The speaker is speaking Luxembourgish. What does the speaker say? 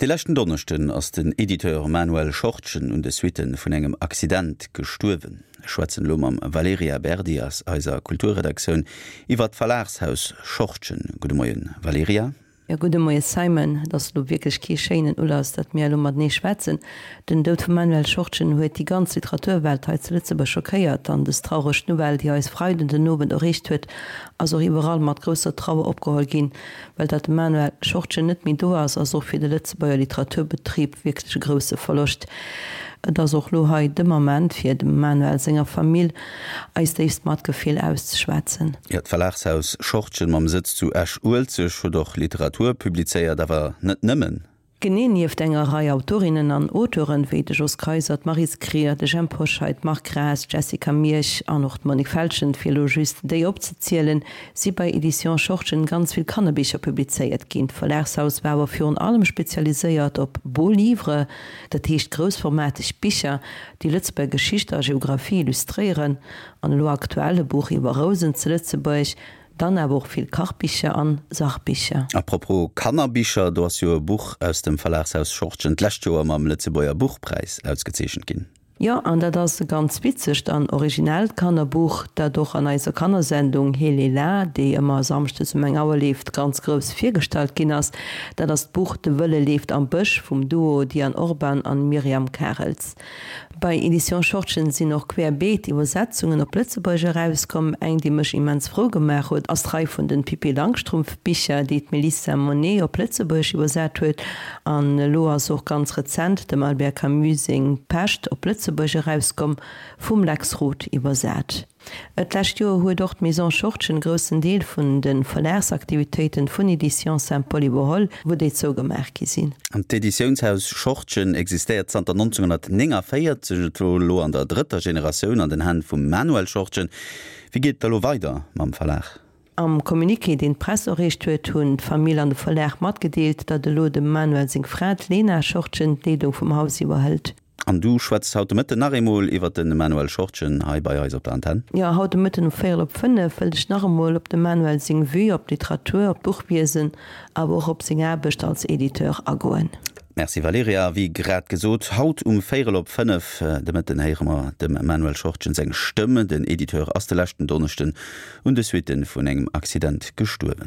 De leschten Donneschden ass den Editeur Manuel Schortgen un de Suitte vun engem Accident gestuerwen. Ech schwätzen elo mam Valerija Berdi aus eiser Kulturredaktioun iwwer d'Verlagshaus Schortgen. Gudde Moien, Valerija. Jo, gudde Moie Simon. Et ass elo wierklech kee schéinen Ulass, datt mir elo matenee schwätzen. Den Doud vum Manuel Schortgen huet déi ganz Literaturwelt hei zu Lëtzebuerg schockéiert an dës traureg Nouvelle, déi eis Freiden den Owend erreecht huet, ass och iwwerall mat grousser Trauer opgeholl ginn. Well datt de Manuel Schortgen net méi do ass, ass och fir de Lëtzebuerger Literaturbetrib wierklech e grousse Verloscht. Et ass och lo hei de Moment, fir dem Manuel senger Famill eist déifst Matgefill auszeschwätzen. Jo, d'Verlagshaus Schortgen mam Sëtz zu Esch-Uelzecht huet och Literatur publizéiert, awer net nëmmen. Genee, nieft enger Rei Autorinnen an Auteuren, wéi de Jos Kayser, d'Maryse Krier, de Jhemp Hoscheit, d'Marc Graas, d'Jessica Miersch an och d'Monique Feltgen, fir elo just déi opzezielen, si bei Editions Schortgen ganz vill Kannerbicher publizéiert ginn. D'Verlagshaus war awer virun allem spezialiséiert op Beaux Livres, dat heescht groussformateg Bicher, déi Lëtzebuerger Geschicht a Geographie illustréieren, an elo aktuell e Buch iwwer Rousen zu Lëtzebuerg, dann awer och vill Kachbicher an Sachbicher. A propos Kannerbicher, do ass jo e Buch aus dem Verlagshaus Schortgen d'lescht Joer mam Lëtzebuerger Buchpräis ausgezeechent ginn. Jo, an dat ass e ganz witzegt an originellt Kannerbuch, dat och an eiser Kannersendung He-le-la, déi ëmmer samschdes um eng Auer leeft, ganz grouss virgestallt ginn ass. Dat ass d'Buch De Wëlle leeft am Bësch vum Duo Diane Orban an Myriam Karels. Bei Editions Schortgen sinn och querbeet Iwwersetzungen op Lëtzebuergesch erauskomm. Eng, déi mech immens frou gemaach huet, ass d'Rei vun den Pippi Langstrumpf Bicher, déi d'Melissa Monet op Lëtzebuergesch iwwersat huet. An elo ass och ganz rezent dem Albert Camus seng Pescht op Lëtzebuergesch erauskomm, vum Lex Roth iwwersat. D'lescht Joer huet och d'Maison Schortgen e groussen Deel vun de Verlagsaktivitéiten vun Editions Saint-Paul iwwerholl, wou déi zougemaach gi sinn. An d'Editiounshaus Schortgen existéiert zanter 1949, et wor elo an der drëtter Generatioun an den Hänn vum Manuel Schortgen. Wéi geet et da lo weider mam Verlag? Am Communiqué, deen d'Press erreecht huet, hunn d'Famill an de Verlag matgedeelt, datt elo dem Manuel seng Fra, d'Lena Schortgen, d'Leedung vum Haus iwwerhëlt. An du schwätz haut de Mëtten nach eemol iwwert de Manuel Schortgen hei bei eis op der Antenn. Jo, haut de Mëtten um véierel op 5 wëllt ech nach emol op dem Manuel seng Vue op d'Literatur, op d'Buchwiesen, awer och op seng Aarbecht als Editeur agoen. Merci Valerija. Wéi grad gesot, haut um véierel op 5 de Mëtten héiere mer dem Manuel Schortgen seng Stëmm. Den Editeur ass de leschten Donneschden un de Suitte vun engem Accident gestuerwen.